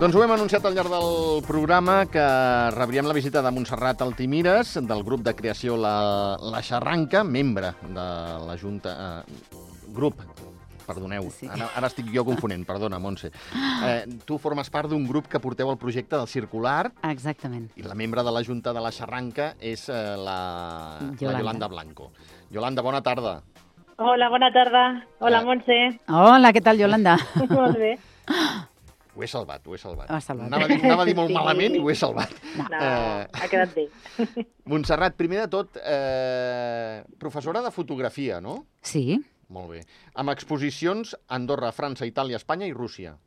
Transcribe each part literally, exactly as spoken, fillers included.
Doncs ho hem anunciat al llarg del programa que rebríem la visita de Montserrat Altimires, del grup de creació La, la Xarranca, membre de la Junta... Eh, grup, perdoneu, Sí. ara, ara estic jo confonent, perdona, Montse. Eh, tu formes part d'un grup que porteu el projecte del Circular Exactament. i la membre de la Junta de la Xarranca és eh, la, Yolanda. la Yolanda Blanco. Yolanda, bona tarda. Hola, bona tarda. Hola, Eh. Montse. Hola, què tal, Yolanda? Molt bé. Ho he salvat, ho he salvat. Ho has salvat. Anava a dir, anava a dir molt Sí. malament i ho he salvat. No, Eh. ha quedat bé. Montserrat, primer de tot, eh, professora de fotografia, no? Sí. Molt bé. Amb exposicions a Andorra, França, Itàlia, Espanya i Rússia.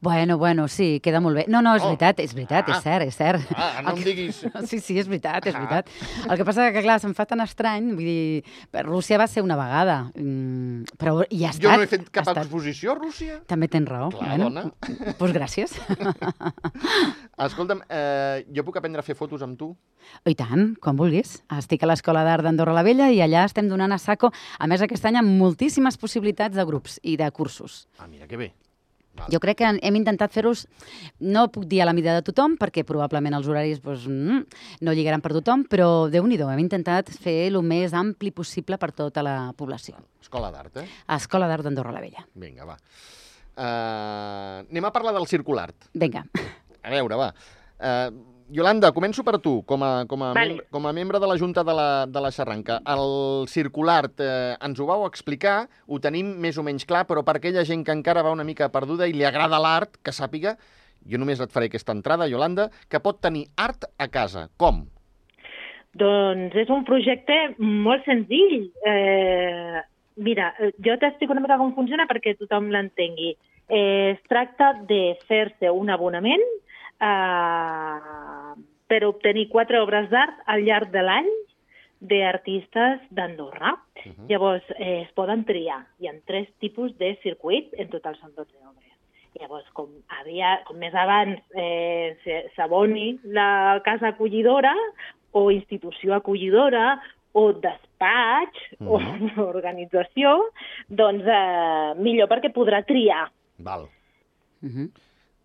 Bueno, bueno, sí, queda molt bé. No, no, és Oh. veritat, és veritat, Ah. és cert, és cert. Ah, no El em que- diguis... Sí, sí, és veritat, és Ah. veritat. El que passa que, clar, se'm fa tan estrany, vull dir, per Rússia va ser una vegada, mm, però hi ha estat. Jo no he fet cap ha estat. exposició a Rússia. També tens raó. Clar, dona. Doncs pues gràcies. Escolta'm, eh, jo puc aprendre a fer fotos amb tu? I tant, quan vulguis. Estic a l'Escola d'Art d'Andorra la Vella i allà estem donant a saco, a més aquest any, amb moltíssimes possibilitats de grups i de cursos. Ah, mira, que bé. Val. Jo crec que hem intentat fer-los, no puc dir a la mida de tothom, perquè probablement els horaris doncs, mm, no lligaran per tothom, però Déu-n'hi-do, hem intentat fer el més ampli possible per tota la població. Escola d'Art, eh? A Escola d'Art d'Andorra la Vella. Vinga, va. Uh, anem a parlar del Circular. Vinga. A veure, va. Uh, Yolanda, començo per tu, com a, com a, Vale. membre, com a membre de la Junta de la, de la Xarranca. El Circular, eh, ens ho vau explicar, ho tenim més o menys clar, però per aquella gent que encara va una mica perduda i li agrada l'art, que sàpiga, jo només et faré aquesta entrada, Yolanda, que pot tenir art a casa. Com? Doncs és un projecte molt senzill. Eh, mira, eh, jo t'explico una mica com funciona perquè tothom l'entengui. Eh, es tracta de fer-se un abonament eh, per obtenir quatre obres d'art al llarg de l'any d'artistes d'Andorra. Uh -huh. Llavors, eh, es poden triar. Hi ha tres tipus de circuit, en total són dotze obres. Llavors, com, havia, com més abans eh, s'aboni la casa acollidora o institució acollidora o despatx Mhm. o organització, doncs eh, millor perquè podrà triar. Val. Uh -huh.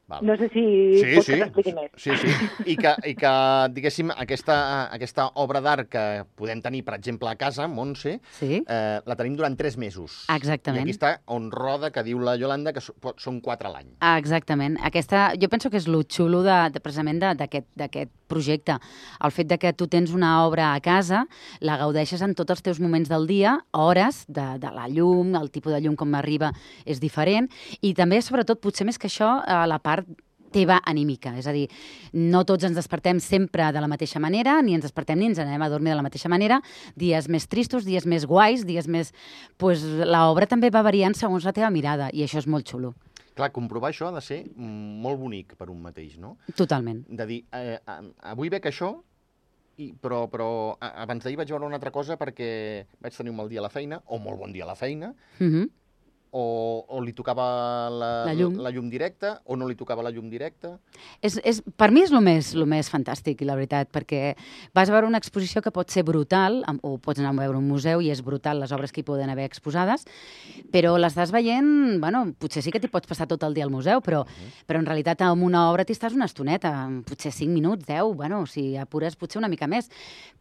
Val. No sé si Sí, pots sí, que t'expliqui més. sí, sí. I que, i que diguéssim, aquesta, aquesta obra d'art que podem tenir, per exemple, a casa, Montse, Sí. eh, la tenim durant tres mesos. Exactament. I aquí està on roda, que diu la Yolanda, que so- pot- són quatre a l'any. Ah, exactament. Aquesta, jo penso que és lo xulo de, de, precisament de- d'aquest d'aquest projecte. El fet de que tu tens una obra a casa, la gaudeixes en tots els teus moments del dia, hores de, de la llum, el tipus de llum com arriba és diferent, i també, sobretot, potser més que això, a la part teva anímica. És a dir, no tots ens despertem sempre de la mateixa manera, ni ens despertem ni ens anem a dormir de la mateixa manera. Dies més tristos, dies més guais, dies més... Pues, l'obra també va variant segons la teva mirada, i això és molt xulo. Clar, comprovar això ha de ser mm, molt bonic per un mateix, no? Totalment. De dir, eh, a- avui veig això, i, però, però a- abans d'ahir vaig veure una altra cosa perquè vaig tenir un mal dia a la feina, o molt bon dia a la feina, Uh -huh. o, o li tocava la, La llum. la llum directa, o no li tocava la llum directa. És, és, per mi és el més, el més fantàstic, la veritat, perquè vas a veure una exposició que pot ser brutal, am- o pots anar a veure un museu i és brutal les obres que hi poden haver exposades, però l'estàs veient, bueno, potser sí que t'hi pots passar tot el dia al museu, però, però en realitat amb una obra t'hi estàs una estoneta, potser cinc minuts, deu, bueno, si apures potser una mica més.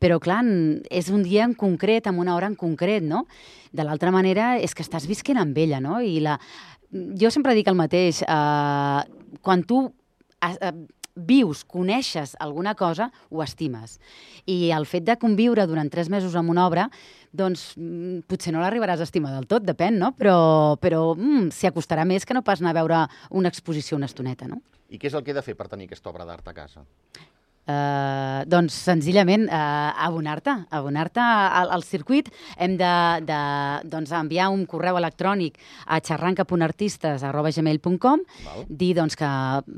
Però clar, en- és un dia en concret, amb una hora en concret, no? De l'altra manera és que estàs visquent amb ella, no? I la... Jo sempre dic el mateix, eh, quan tu eh, vius, coneixes alguna cosa, ho estimes. I el fet de conviure durant tres mesos amb una obra, doncs mm, potser no l'arribaràs a estimar del tot, depèn, no? Però, però mm, s'hi acostarà més que no pas anar a veure una exposició una estoneta, no? I què és el que he de fer per tenir aquesta obra d'art a casa? Uh, doncs senzillament uh, abonar-te, abonar-te al, al circuit. Hem de, de doncs, enviar un correu electrònic a xarranca punt artistes arroba gmail punt com, Val. dir doncs, que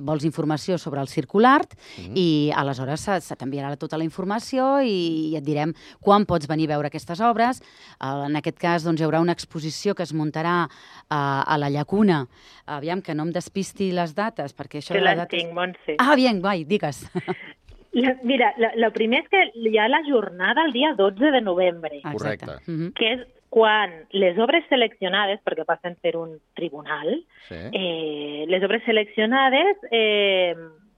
vols informació sobre el Circulart Mhm. i aleshores se, se t'enviarà tota la informació i, i et direm quan pots venir a veure aquestes obres. Uh, en aquest cas doncs, hi haurà una exposició que es muntarà uh, a la Llacuna. Aviam, que no em despisti les dates, perquè això Que de les les dates... tinc, Montse. Ah, bien, vai, digues. La, mira, el primer és que hi ha la jornada el dia dotze de novembre, Ah, Correcte. exacte. Mhm. que és quan les obres seleccionades, perquè passen per un tribunal, Sí. eh, les obres seleccionades eh,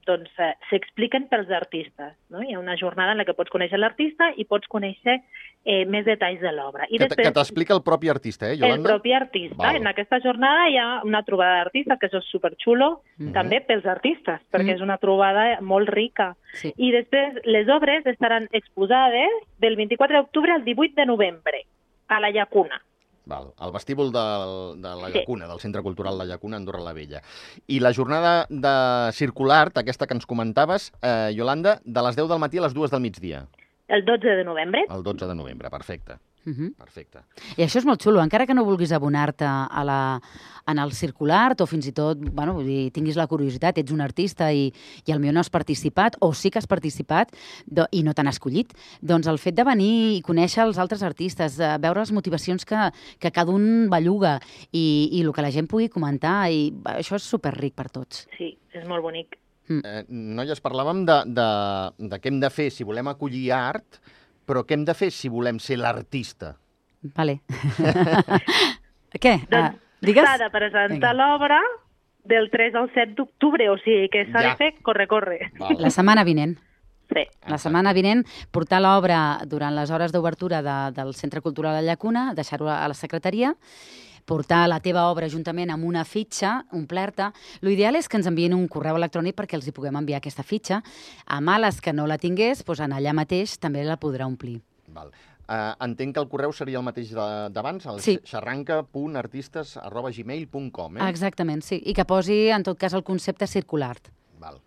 doncs, eh, s'expliquen pels artistes. No? Hi ha una jornada en la que pots conèixer l'artista i pots conèixer eh, més detalls de l'obra. I Que, t- que després, t'explica el propi artista, eh, el Yolanda? propi artista. Val. En aquesta jornada hi ha una trobada d'artistes, que això és superxulo, Mhm. també pels artistes, perquè Mhm. és una trobada molt rica. Sí. I després les obres estaran exposades del vint-i-quatre d'octubre al divuit de novembre, a la Llacuna. Val, al vestíbul del, de la Sí. Llacuna, del Centre Cultural La Llacuna, Andorra la Vella. I la jornada de circular, aquesta que ens comentaves, eh, Yolanda, de les deu del matí a les dues del migdia, El dotze de novembre. el dotze de novembre. Perfecte, Uh -huh. perfecte. I això és molt xulo, encara que no vulguis abonar-te a la, en el circulart o fins i tot, bueno, vull dir, tinguis la curiositat, ets un artista i, i potser no has participat, o sí que has participat do, i no t'han escollit, doncs el fet de venir i conèixer els altres artistes, eh, veure les motivacions que, que cada un belluga i, i el que la gent pugui comentar, i això és superric per tots. Sí, és molt bonic. Eh, noies, parlàvem de, de, de què hem de fer si volem acollir art, però què hem de fer si volem ser l'artista? Vale. Què? Doncs Uh, digues? s'ha de presentar Vinga. l'obra del tres al set d'octubre, o sigui que s'ha Ja. de fer corre, corre. Val. La setmana vinent. Sí. La setmana vinent, portar l'obra durant les hores d'obertura de, del Centre Cultural La Llacuna, deixar-ho a la secretaria, portar la teva obra juntament amb una fitxa, omplerta. L'ideal és que ens envien un correu electrònic perquè els hi puguem enviar aquesta fitxa. A males que no la tingués, doncs en allà mateix també la podrà omplir. Val. Uh, entenc que el correu seria el mateix de- d'abans, el Sí. xarranca punt artistes arroba gmail punt com, eh? Exactament, sí. I que posi, en tot cas, el concepte circular. Val.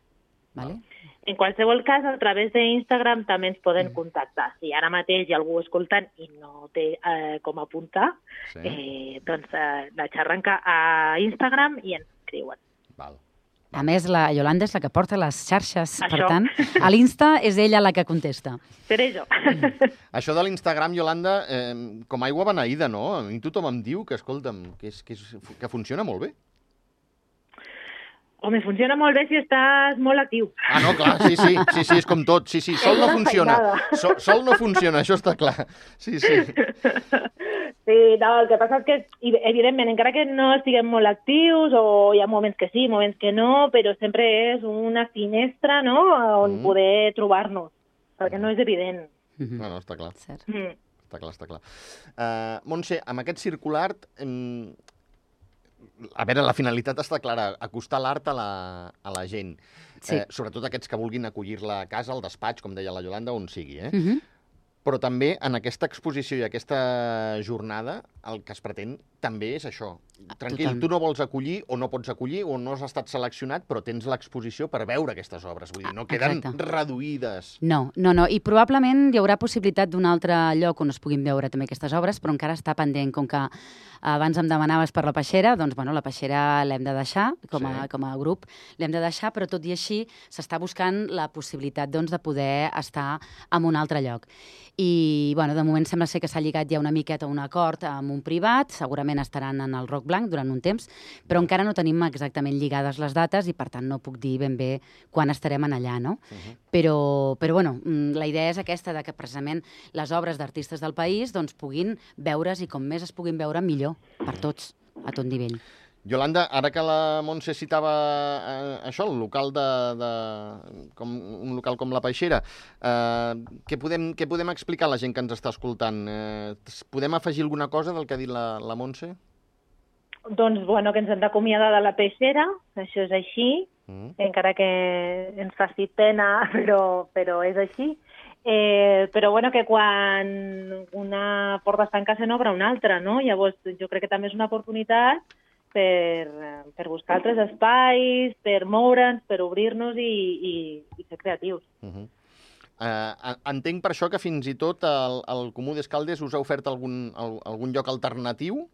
Vale? En qualsevol cas, a través d'Instagram també ens poden contactar. Si ara mateix hi ha algú escoltant i no té eh, com apuntar, Sí. eh, doncs eh, la xarranca a Instagram i ens escriuen. Val. A més, la Yolanda és la que porta les xarxes, per Això. tant, a l'Insta és ella la que contesta. Seré jo. Això de l'Instagram, Yolanda, eh, com aigua beneïda, no? A mi tothom em diu que, escolta'm, que, és, que, és, que funciona molt bé. Home, funciona molt bé si estàs molt actiu. Ah, no, clar, sí, sí, sí, sí, és com tot. Sí, sí, sol no una funciona. feinada. Sol, sol no funciona, això està clar. Sí, sí. Sí, no, el que passa és que, i- evidentment, encara que no estiguem molt actius, o hi ha moments que sí, moments que no, però sempre és una finestra, no?, on Mm. poder trobar-nos, perquè no és evident. Mhm. No, no, està clar. Cert. Mm. Està clar, està clar. Uh, Montse, amb aquest circular, em... a veure, la finalitat està clara, acostar l'art a, la, a la gent. Sí. Eh, sobretot aquests que vulguin acollir-la a casa, al despatx, com deia la Yolanda, on sigui. Eh? Mhm. Però també en aquesta exposició i aquesta jornada el que es pretén també és això. Tranquil, Totalment. tu no vols acollir o no pots acollir o no has estat seleccionat, però tens l'exposició per veure aquestes obres. Vull dir, no queden Exacte. reduïdes. No, no, no. I probablement hi haurà possibilitat d'un altre lloc on es puguin veure també aquestes obres, però encara està pendent. Com que abans em demanaves per la peixera, doncs bueno, la peixera l'hem de deixar, com a, Sí. com a grup l'hem de deixar, però tot i així s'està buscant la possibilitat doncs, de poder estar en un altre lloc. I bueno, de moment sembla ser que s'ha lligat ja una miqueta a un acord amb un privat, segurament estaran en el Roc Blanc durant un temps, però encara no tenim exactament lligades les dates i per tant no puc dir ben bé quan estarem en allà, no? Uh-huh. Però, però bueno, mm, la idea és aquesta, de que precisament les obres d'artistes del país doncs, puguin veure's i com més es puguin veure, millor per tots, a tot nivell. Yolanda, ara que la Montse citava eh, això, el local de, de com, un local com la Peixera, eh, què, podem, què podem explicar a la gent que ens està escoltant? Eh, podem afegir alguna cosa del que ha dit la, la Montse? Doncs, bueno, que ens hem d'acomiadar de la peixera, això és així, Mm. encara que ens faci pena, però, però és així. Eh, però bueno, que quan una porta es tanca se n'obre una altra, no? Llavors jo crec que també és una oportunitat per, per buscar altres espais, per moure'ns, per obrir-nos i, i, i ser creatius. Uh -huh. uh, entenc per això que fins i tot el, el Comú d'Escaldes us ha ofert algun, al, algun lloc alternatiu?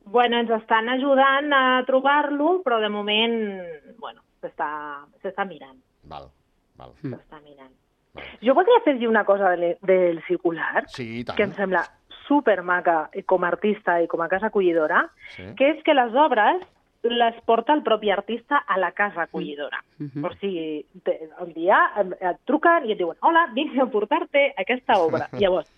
Bueno, ens estan ajudant a trobar-lo, però de moment, bueno, s'està s'està mirant, Val, val. Mm. s'està mirant. Jo voldria afegir una cosa del, del circular, Sí, i tant. que em sembla supermaca com a artista i com a casa acollidora, Sí. que és que les obres les porta el propi artista a la casa acollidora. Mhm. O sigui, te- un dia et truquen i et diuen hola, vinc a portar-te aquesta obra. Llavors,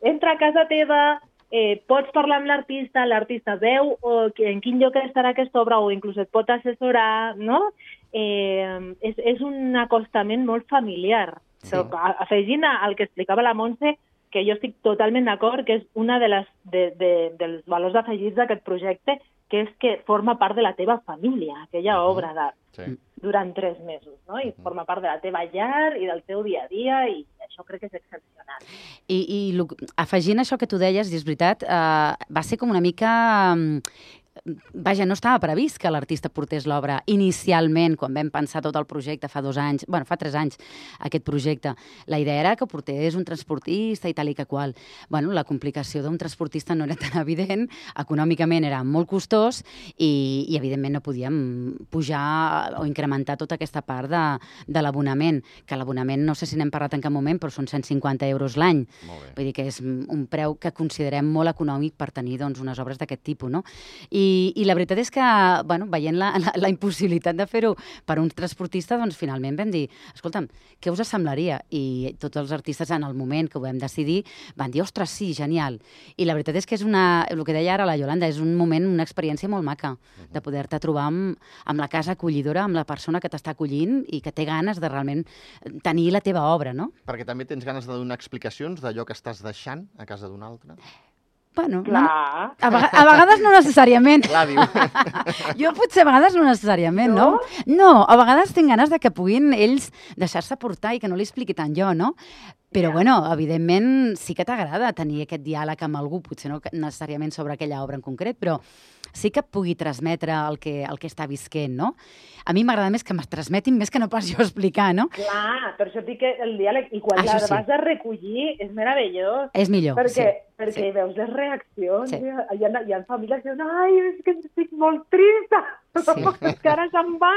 entra a casa teva, eh, pots parlar amb l'artista, l'artista veu o en quin lloc estarà aquesta obra o inclús et pot assessorar, no? Eh, és, és un acostament molt familiar. Sí. Però, afegint al que explicava la Montse, que jo estic totalment d'acord, que és una de les, de, de, dels valors afegits d'aquest projecte, que és que forma part de la teva família, aquella uh -huh. obra d'art, sí. durant tres mesos, no? I uh -huh. forma part de la teva llar i del teu dia a dia, i això crec que és excepcional. I, i afegint això que tu deies, i és veritat, eh, va ser com una mica... Vaja, no estava previst que l'artista portés l'obra inicialment, quan vam pensar tot el projecte fa dos anys, bueno, fa tres anys, aquest projecte. La idea era que portés un transportista i tal i que qual. Bueno, la complicació d'un transportista no era tan evident, econòmicament era molt costós i, i evidentment, no podíem pujar o incrementar tota aquesta part de, de l'abonament, que l'abonament, no sé si n'hem parlat en cap moment, però són cent cinquanta euros l'any. Vull dir que és un preu que considerem molt econòmic per tenir doncs, unes obres d'aquest tipus, no? I I, i la veritat és que, bueno, veient la, la, la impossibilitat de fer-ho per un transportista, doncs finalment vam dir, escolta'm, què us semblaria? I tots els artistes en el moment que ho vam decidir van dir, ostres, sí, genial. I la veritat és que és una, el que deia ara la Yolanda, és un moment, una experiència molt maca, de poder-te trobar amb, amb la casa acollidora, amb la persona que t'està acollint i que té ganes de realment tenir la teva obra, no? Perquè també tens ganes de donar explicacions d'allò que estàs deixant a casa d'un altre? Bueno, Clar. No, a, a vegades no necessàriament. Clar, diu. Jo potser a vegades no necessàriament, no? No, no a vegades tinc ganes de que puguin ells deixar-se portar i que no li expliqui tant jo, no? Però, yeah. bueno, evidentment sí que t'agrada tenir aquest diàleg amb algú, potser no necessàriament sobre aquella obra en concret, però sí que pugui transmetre el que, el que està visquent, no? A mi m'agrada més que m'es transmetin més que no pas jo explicar, no? Clar, per això dic que el diàleg, i quan la sí. vas a recollir, és meravellós. És millor, perquè, sí. Perquè sí. veus les reaccions, sí. hi, ha, hi ha famílies que diuen, ai, és que estic molt trista, sí. és que ara se'n va.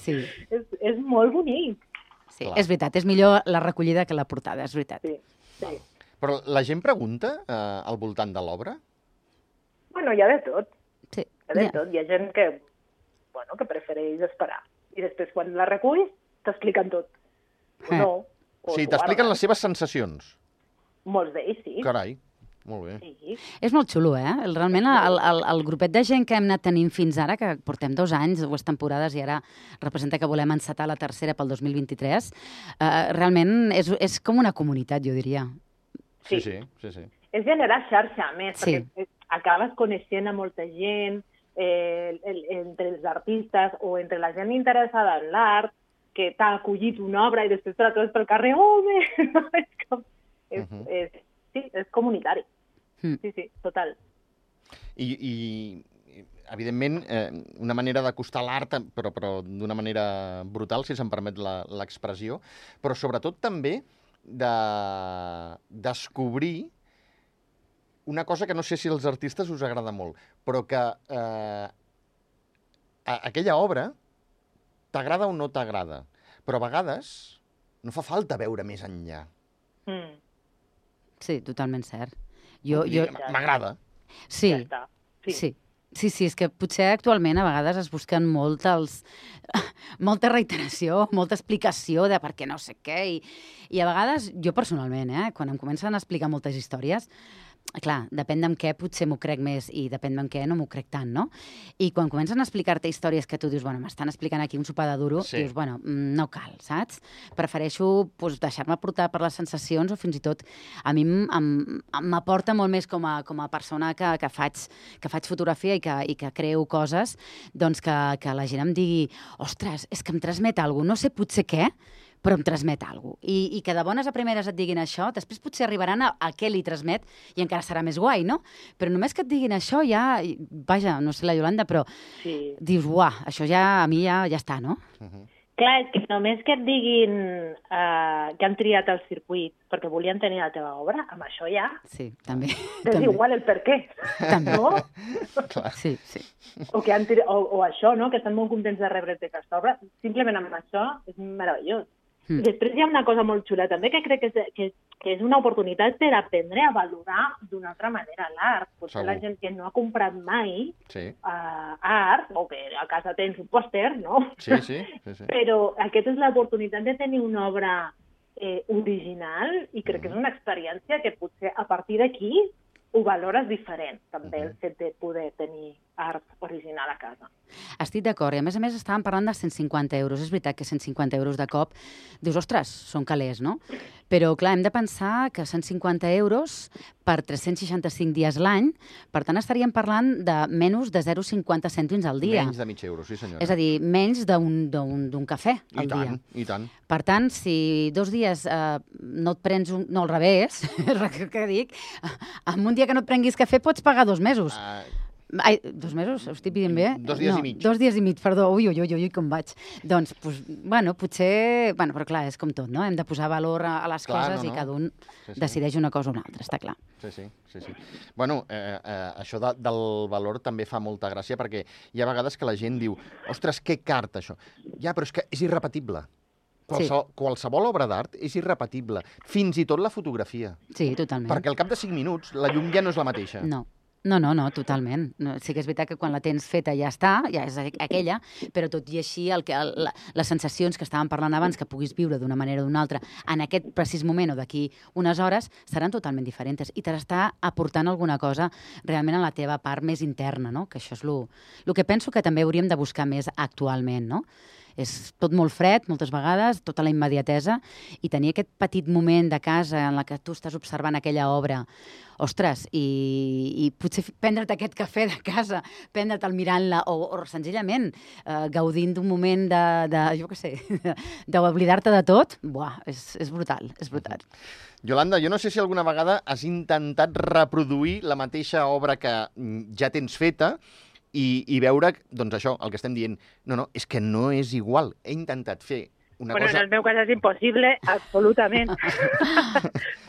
Sí. És, és molt bonic. Sí, clar. És veritat, és millor la recollida que la portada, és veritat. Sí, sí. Però la gent pregunta eh, al voltant de l'obra? Bueno, hi ha de tot. Sí. Hi ha de ja. tot. Hi ha gent que, bueno, que prefereix esperar. I després, quan la reculls, t'expliquen tot. O no. O sí, t'expliquen les seves sensacions. Molts d'ells, sí. Carai. Molt bé. Sí. És molt xulo, eh? Realment, el, el, el grupet de gent que hem anat tenint fins ara, que portem dos anys, dues temporades, i ara representa que volem encetar la tercera pel dos mil vint-i-tres, eh, realment és, és com una comunitat, jo diria. Sí, sí, sí. sí. És generar xarxa, a més, sí. perquè acabes coneixent a molta gent, eh, el, entre els artistes o entre la gent interessada en l'art, que t'ha acollit una obra i després te la trobes pel carrer, oh, bé! és com... És, uh -huh. és, sí, és comunitari. Mm. Sí, sí, total. I, i evidentment, eh, una manera d'acostar l'art, però, però d'una manera brutal, si se'm permet l'expressió, però sobretot també de descobrir una cosa que no sé si als artistes us agrada molt, però que eh, aquella obra t'agrada o no t'agrada, però a vegades no fa falta veure més enllà. Mm. Sí, totalment cert. Jo, jo... M'agrada. Sí, ja sí. sí. Sí, sí, és que potser actualment a vegades es busquen molt els... molta reiteració, molta explicació de per què no sé què, i, i a vegades, jo personalment, eh, quan em comencen a explicar moltes històries, clar, depèn d'en què potser m'ho crec més i depèn d'en què no m'ho crec tant, no? I quan comencen a explicar-te històries que tu dius, bueno, m'estan explicant aquí un sopar de duro, sí. dius, bueno, no cal, saps? Prefereixo pues, deixar-me portar per les sensacions o fins i tot a mi m'aporta molt més com a, com a persona que, que, faig, que faig fotografia i que, i que creo coses, doncs que, que la gent em digui, ostres, és que em transmet alguna cosa, no sé potser què, però em transmet alguna cosa. I, I que de bones a primeres et diguin això, després potser arribaran a, a què li transmet i encara serà més guai, no? Però només que et diguin això ja, vaja, no sé la Yolanda, però sí. dius, uah, això ja a mi ja, ja està, no? Uh -huh. Clar, és que només que et diguin uh, que han triat el circuit perquè volien tenir la teva obra, amb això ja... Sí, també. És també. Igual el per què, també. No? Clar. Sí, sí. O, que han triat, o, o això, no?, que estan molt contents de rebre aquesta obra, simplement amb això és meravellós. Mm. Després hi ha una cosa molt xula també que crec que és, que, que és una oportunitat per aprendre a valorar d'una altra manera l'art. Potser Segur. La gent que no ha comprat mai sí. uh, art, o que a casa tens un pòster, no? Sí, sí, sí, sí. Però aquesta és l'oportunitat de tenir una obra eh, original, i crec que és una experiència que potser a partir d'aquí ho valores diferent, també, el fet de poder tenir art original a casa. Estic d'acord, i a més a més estàvem parlant de cent cinquanta euros. És veritat que cent cinquanta euros de cop, dius, ostres, són calés, no? Però, clar, hem de pensar que cent cinquanta euros per tres-cents seixanta-cinc dies l'any, per tant, estaríem parlant de menys de zero coma cinquanta cèntims al dia. Menys de mig euro, sí senyora. És a dir, menys d'un cafè al I tant, dia. I tant. Per tant, si dos dies eh, no et prens un... No, al revés, és que dic, en un dia que no et prenguis cafè pots pagar dos mesos. Uh, Ai, dos mesos? Ho estic dient bé? Dos dies no, i mig. Dos dies i mig, perdó. Ui, ui, ui, ui, com vaig. Doncs, pues, bueno, potser... Bueno, però clar, és com tot, no? Hem de posar valor a, a les clar, coses no, no. i cada un sí, sí. decideix una cosa o una altra, està clar. Sí, sí, sí, sí. Bueno, eh, eh, això de, del valor també fa molta gràcia perquè hi ha vegades que la gent diu ostres, que carta això. Ja, però és que és irrepetible. Qualsevol, sí. qualsevol obra d'art és irrepetible. Fins i tot la fotografia. Sí, totalment. Perquè al cap de cinc minuts la llum ja no és la mateixa. No. No, no, no, totalment. No, sí que és veritat que quan la tens feta ja està, ja és aquella, però tot i així el que, el, la, les sensacions que estàvem parlant abans que puguis viure d'una manera o d'una altra en aquest precís moment o d'aquí unes hores seran totalment diferents i t'està aportant alguna cosa realment a la teva part més interna, no? Que això és el que penso que també hauríem de buscar més actualment, no? És tot molt fred, moltes vegades, tota la immediatesa, i tenir aquest petit moment de casa en la que tu estàs observant aquella obra, ostres, i, i potser prendre't aquest cafè de casa, prendre'l mirant-la, o, o senzillament eh, gaudint d'un moment de, de jo què sé, d'oblidar-te de tot, buah, és, és brutal, és brutal. Yolanda, jo no sé si alguna vegada has intentat reproduir la mateixa obra que ja tens feta, I, i veure, doncs això, el que estem dient, no, no, és que no és igual. He intentat fer una bueno, cosa... en el meu cas és impossible, absolutament.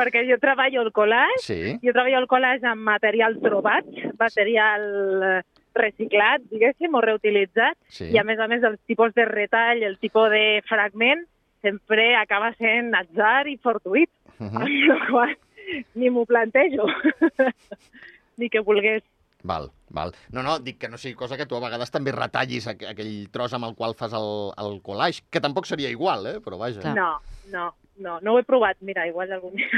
Perquè jo treballo el collage, sí. jo treballo el collage amb material trobat, material reciclat, diguéssim, o reutilitzat, sí. I a més a més el tipus de retall, el tipus de fragment, sempre acaba sent atzar i fortuït. Uh -huh. Amb la qual ni m'ho plantejo, ni que volgués. Val, val. No, no, dic que no sigui cosa que tu a vegades també retallis aqu aquell tros amb el qual fas el, el collage, que tampoc seria igual, eh? Però vaja. No, no, no, no ho he provat. Mira, igual algun dia.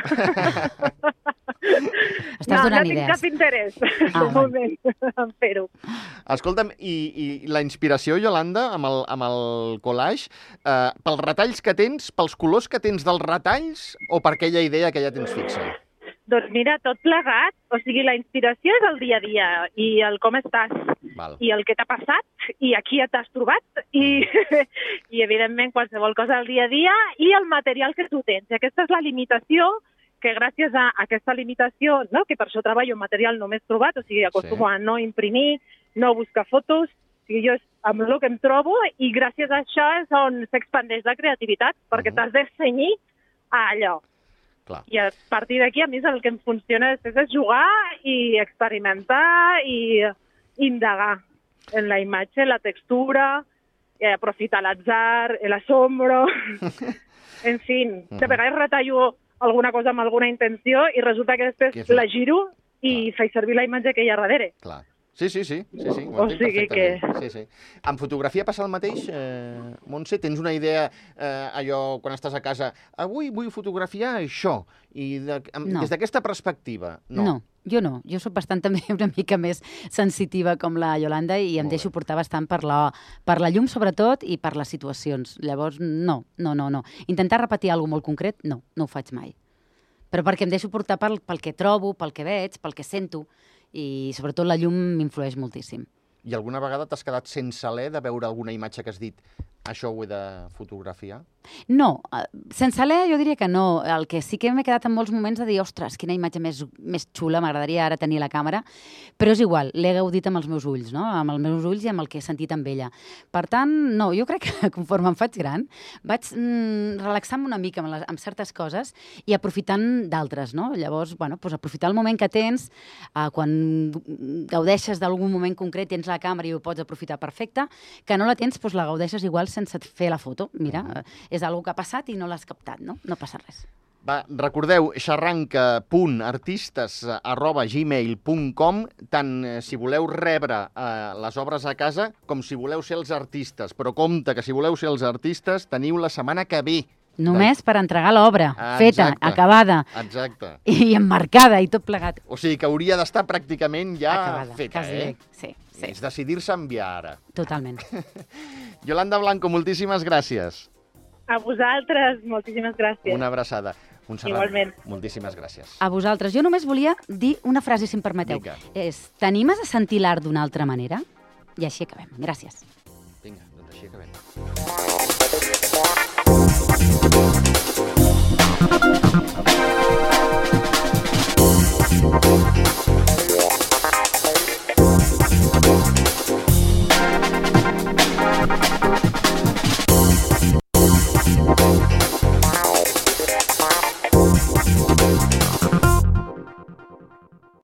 Estàs no, donant no idees. tinc cap interès ah, de moment en fer-ho. Escolta'm, i, i la inspiració, Yolanda, amb el, amb el collage, eh, pels retalls que tens, pels colors que tens dels retalls o per aquella idea que ja tens fixa? Doncs mira, tot plegat, o sigui, la inspiració és el dia a dia, i el com estàs, Val. I el que t'ha passat, i aquí et t'has trobat, i, i evidentment qualsevol cosa al dia a dia, i el material que tu tens. I aquesta és la limitació, que gràcies a aquesta limitació, no? Que per això treballo en material només trobat, o sigui, acostumo sí. a no imprimir, no buscar fotos, o sigui, jo és amb el que em trobo, i gràcies a això és on s'expandeix la creativitat, perquè uh -huh. t'has de cenyir a allò. Clar. I a partir d'aquí, a mi, el que em funciona és, és jugar i experimentar i indagar en la imatge, la textura, eh, aprofitar l'atzar, l'asombro, en fi. De vegades retallo alguna cosa amb alguna intenció i resulta que després que la giro i faig servir la imatge que hi ha darrere. Clar. Sí, sí, sí, sí, sí, ho o sigui que... Sí, sí. En fotografia passa el mateix, eh, Montse? Tens una idea, eh, allò, quan estàs a casa, avui vull fotografiar això, i de, no. des d'aquesta perspectiva? No. No, jo no. Jo soc bastant també una mica més sensitiva com la Yolanda i em Molt deixo bé. portar bastant per la, per la llum, sobretot, i per les situacions. Llavors, no, no, no, no. Intentar repetir alguna cosa molt concret, no, no ho faig mai. Però perquè em deixo portar pel, pel que trobo, pel que veig, pel que sento, i sobretot la llum m'influeix moltíssim. I alguna vegada t'has quedat sense alè de veure alguna imatge que has dit això ho he de fotografiar? No, sense alè jo diria que no. El que sí que m'he quedat en molts moments de dir ostres, quina imatge més, més xula, m'agradaria ara tenir la càmera, però és igual, l'he gaudit amb els meus ulls, no? Amb els meus ulls i amb el que he sentit amb ella. Per tant, no, jo crec que conforme em faig gran vaig mm, relaxar-me una mica amb, les, amb certes coses i aprofitant d'altres, no? Llavors, bueno, doncs aprofitar el moment que tens, eh, quan gaudeixes d'algun moment concret, tens la càmera i ho pots aprofitar perfecte, que no la tens, doncs la gaudeixes igual sense fer la foto. Mira, uh-huh. és una que ha passat i no l'has captat, no? No passa res. Va, recordeu, xarranca punt artistes arroba gmail punt com, tant eh, si voleu rebre eh, les obres a casa com si voleu ser els artistes. Però compte que si voleu ser els artistes teniu la setmana que ve, Només per entregar l'obra, Ah, feta, exacte. acabada Exacte. i emmarcada i tot plegat. O sigui que hauria d'estar pràcticament ja Acabada, feta, quasi eh? bé. Sí, sí, És decidir-se a enviar ara. totalment. Yolanda Blanco, moltíssimes gràcies. A vosaltres, moltíssimes gràcies. Una abraçada. Montserrat, Igualment. moltíssimes gràcies. A vosaltres. Jo només volia dir una frase, si em permeteu. Vinga. És, t'animes a sentir l'art d'una altra manera? I així acabem. Gràcies. Vinga, doncs així acabem.